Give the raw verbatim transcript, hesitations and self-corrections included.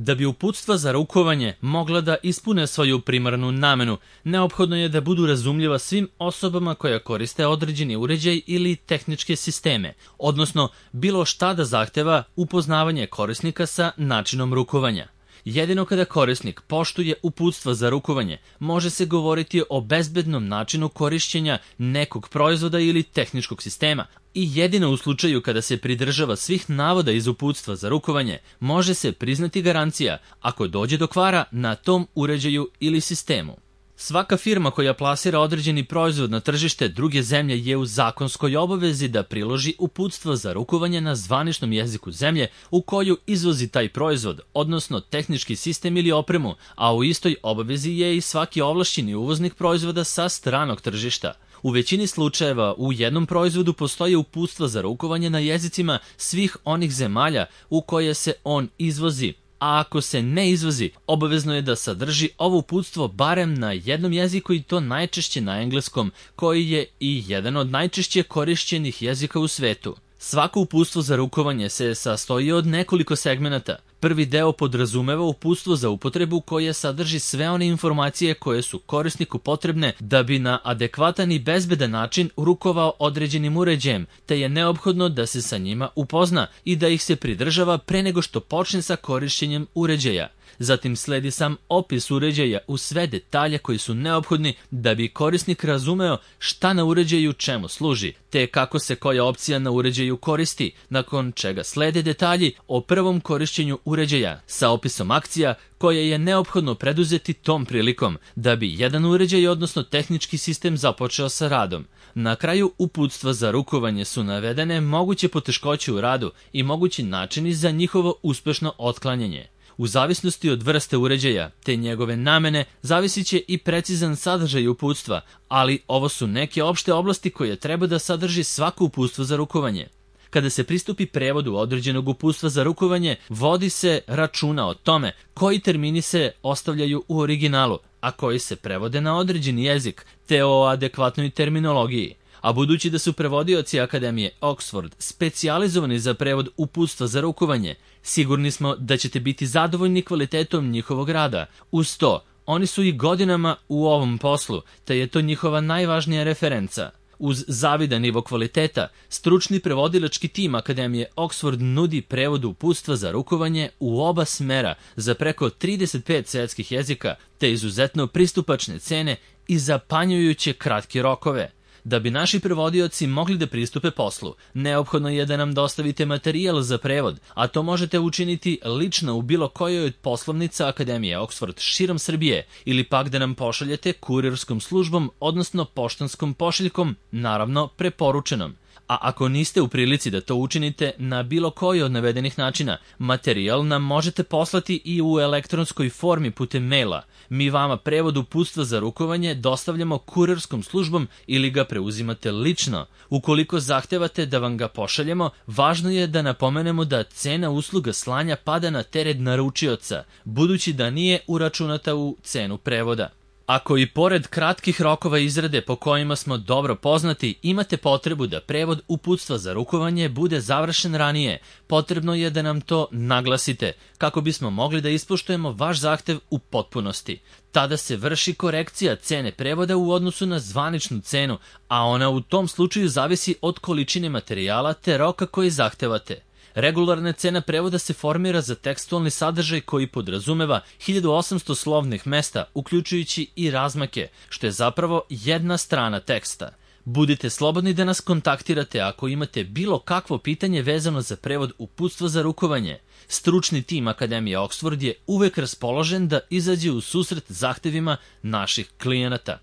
Da bi uputstva za rukovanje mogla da ispune svoju primarnu namenu, neophodno je da budu razumljiva svim osobama koja koriste određeni uređaj ili tehničke sisteme, odnosno bilo šta da zahteva upoznavanje korisnika sa načinom rukovanja. Jedino kada korisnik poštuje uputstva za rukovanje, može se govoriti o bezbednom načinu korišćenja nekog proizvoda ili tehničkog sistema i jedino u slučaju kada se pridržava svih navoda iz uputstva za rukovanje, može se priznati garancija ako dođe do kvara na tom uređaju ili sistemu. Svaka firma koja plasira određeni proizvod na tržište druge zemlje je u zakonskoj obavezi da priloži uputstvo za rukovanje na zvaničnom jeziku zemlje u koju izvozi taj proizvod, odnosno tehnički sistem ili opremu, a u istoj obavezi je i svaki ovlašćeni uvoznik proizvoda sa stranog tržišta. U većini slučajeva u jednom proizvodu postoje uputstva za rukovanje na jezicima svih onih zemalja u koje se on izvozi, a ako se ne izvozi, obavezno je da sadrži ovo uputstvo barem na jednom jeziku i to najčešće na engleskom, koji je i jedan od najčešće korišćenih jezika u svetu. Svako uputstvo za rukovanje se sastoji od nekoliko segmenata. Prvi deo podrazumeva uputstvo za upotrebu koje sadrži sve one informacije koje su korisniku potrebne da bi na adekvatan i bezbedan način rukovao određenim uređajem, te je neophodno da se sa njima upozna i da ih se pridržava pre nego što počne sa korišćenjem uređaja. Zatim sledi sam opis uređaja u sve detalje koji su neophodni da bi korisnik razumeo šta na uređaju čemu služi, te kako se koja opcija na uređaju koristi, nakon čega slede detalji o prvom korišćenju uređaja sa opisom akcija koje je neophodno preduzeti tom prilikom da bi jedan uređaj, odnosno tehnički sistem, započeo sa radom. Na kraju uputstva za rukovanje su navedene moguće poteškoće u radu i mogući načini za njihovo uspešno otklanjanje. U zavisnosti od vrste uređaja te njegove namene zavisit će i precizan sadržaj uputstva, ali ovo su neke opšte oblasti koje treba da sadrži svako uputstvo za rukovanje. Kada se pristupi prevodu određenog uputstva za rukovanje, vodi se računa o tome koji termini se ostavljaju u originalu, a koji se prevode na određeni jezik, te o adekvatnoj terminologiji. A budući da su prevodioci Akademije Oxford specijalizovani za prevod uputstva za rukovanje, sigurni smo da ćete biti zadovoljni kvalitetom njihovog rada. Uz to, oni su i godinama u ovom poslu, te je to njihova najvažnija referenca. Uz zavidan nivo kvaliteta, stručni prevodilački tim Akademije Oxford nudi prevod uputstva za rukovanje u oba smera za preko trideset pet svetskih jezika, te izuzetno pristupačne cene i zapanjujuće kratke rokove. Da bi naši prevodioci mogli da pristupe poslu, neophodno je da nam dostavite materijal za prevod, a to možete učiniti lično u bilo kojoj od poslovnica Akademije Oxford širom Srbije ili pak da nam pošaljete kurirskom službom, odnosno poštanskom pošiljkom, naravno preporučenom. A ako niste u prilici da to učinite na bilo koji od navedenih načina, materijal nam možete poslati i u elektronskoj formi putem maila. Mi vama prevod uputstva za rukovanje dostavljamo kurirskom službom ili ga preuzimate lično. Ukoliko zahtevate da vam ga pošaljemo, važno je da napomenemo da cena usluga slanja pada na teret naručioca, budući da nije uračunata u cenu prevoda. Ako i pored kratkih rokova izrade po kojima smo dobro poznati, imate potrebu da prevod uputstva za rukovanje bude završen ranije, potrebno je da nam to naglasite, kako bismo mogli da ispoštujemo vaš zahtev u potpunosti. Tada se vrši korekcija cene prevoda u odnosu na zvaničnu cenu, a ona u tom slučaju zavisi od količine materijala te roka koji zahtevate. Regularna cena prevoda se formira za tekstualni sadržaj koji podrazumeva hiljadu osamsto slovnih mesta, uključujući i razmake, što je zapravo jedna strana teksta. Budite slobodni da nas kontaktirate ako imate bilo kakvo pitanje vezano za prevod uputstva za rukovanje. Stručni tim Akademije Oxford je uvek raspoložen da izađe u susret zahtevima naših klijenata.